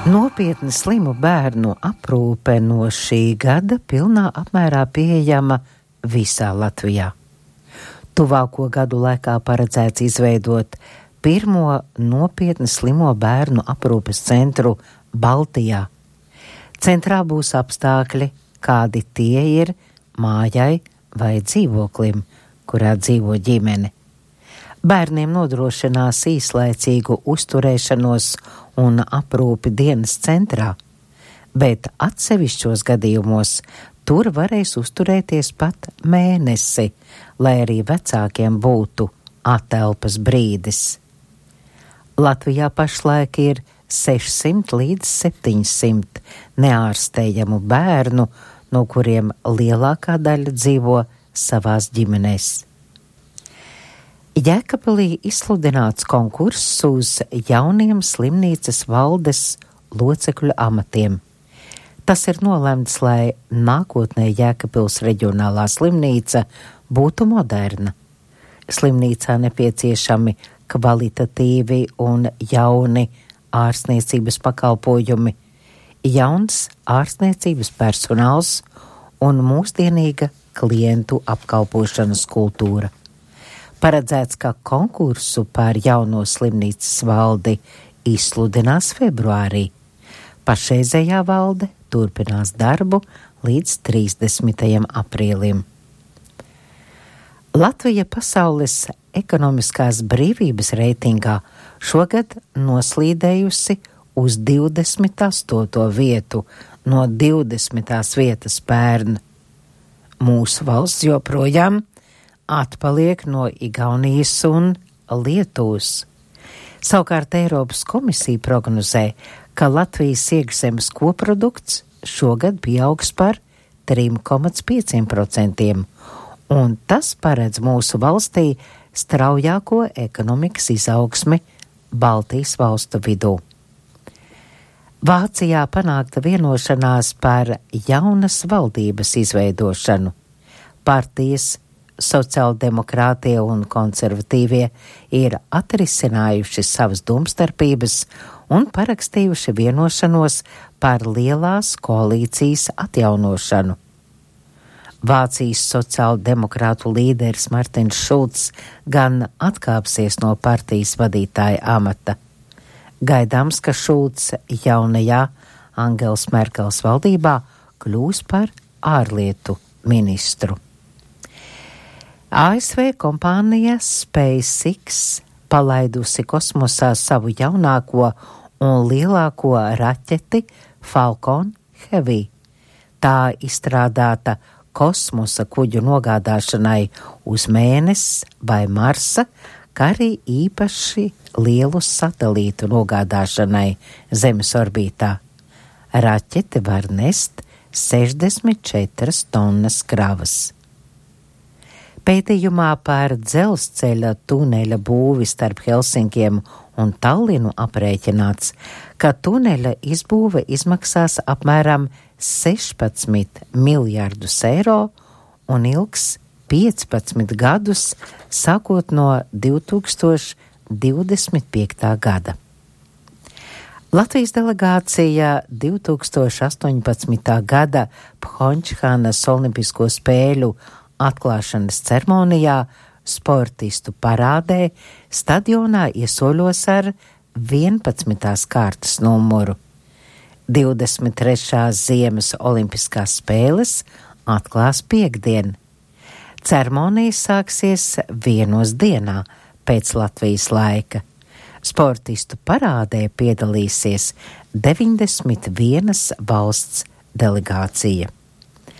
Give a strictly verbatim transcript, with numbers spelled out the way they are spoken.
Nopietni slimu bērnu aprūpe no šī gada pilnā apmērā pieejama visā Latvijā. Tuvāko gadu laikā paredzēts izveidot pirmo nopietni slimo bērnu aprūpes centru Baltijā. Centrā būs apstākļi, kādi tie ir mājai vai dzīvoklim, kurā dzīvo ģimene. Bērniem nodrošinās īslaicīgu uzturēšanos un aprūpi dienas centrā, bet atsevišķos gadījumos tur varēs uzturēties pat mēnesi, lai arī vecākiem būtu atelpas brīdis. Latvijā pašlaik ir sešsimt līdz septiņsimt neārstējamu bērnu, no kuriem lielākā daļa dzīvo savās ģimenēs. Jēkabpilī izsludināts konkurss uz jauniem slimnīcas valdes locekļu amatiem. Tas ir nolemts, lai nākotnē Jēkabpils reģionālā slimnīca būtu moderna. Slimnīcā nepieciešami kvalitatīvi un jauni ārstniecības pakalpojumi, jauns ārstniecības personāls un mūsdienīga klientu apkalpošanas kultūra. Paredzēts, ka konkursu par jauno slimnīcas valdi izsludinās februārī. Pašreizējā valde turpinās darbu līdz trīsdesmitajam aprīlim. Latvija pasaules ekonomiskās brīvības reitingā šogad noslīdējusi uz divdesmit astoto vietu no divdesmitās vietas pērn. Mūsu valsts joprojām atpaliek no Igaunijas un Lietuvas. Savukārt Eiropas komisija prognozē, ka Latvijas iekšzemes koprodukts šogad pieaugs par trim komats pieciem procentiem, un tas paredz mūsu valstī straujāko ekonomikas izaugsmi Baltijas valstu vidū. Vācijā panākta vienošanās par jaunas valdības izveidošanu. Partijas sociāldemokrātie un konservatīvie ir atrisinājuši savas domstarpības un parakstījuši vienošanos par lielās koalīcijas atjaunošanu. Vācijas sociāldemokrātu līderis Martins Šulcs gan atkāpsies no partijas vadītāja amata. Gaidāms, ka Šulcs jaunajā Angelas Merkels valdībā kļūs par ārlietu ministru. A S V kompānija SpaceX palaidusi kosmosā savu jaunāko un lielāko raķeti Falcon Heavy. Tā izstrādāta kosmosa kuģu nogādāšanai uz Mēnesi vai Marsa, kā arī īpaši lielu satelītu nogādāšanai Zemes orbītā. Raķete var nest sešdesmit četras tonnas kravas. Pētījumā par dzelzceļa tuneļa būvi starp Helsinkiem un Tallinu aprēķināts, ka tuneļa izbūve izmaksās apmēram sešpadsmit miljardus eiro un ilgs piecpadsmit gadus, sākot no divi tūkstoši divdesmit piektā gada. Latvijas delegācija divi tūkstoši astoņpadsmitā gada Phončhanas olimpisko spēļu atklāšanas ceremonijā sportistu parādē stadionā iesoļos ar vienpadsmitās kārtas numuru. divdesmit trešās ziemas olimpiskās spēles atklās piektdien. Ceremonija sāksies vienos dienā pēc Latvijas laika. Sportistu parādē piedalīsies deviņdesmit vienas valsts delegācija.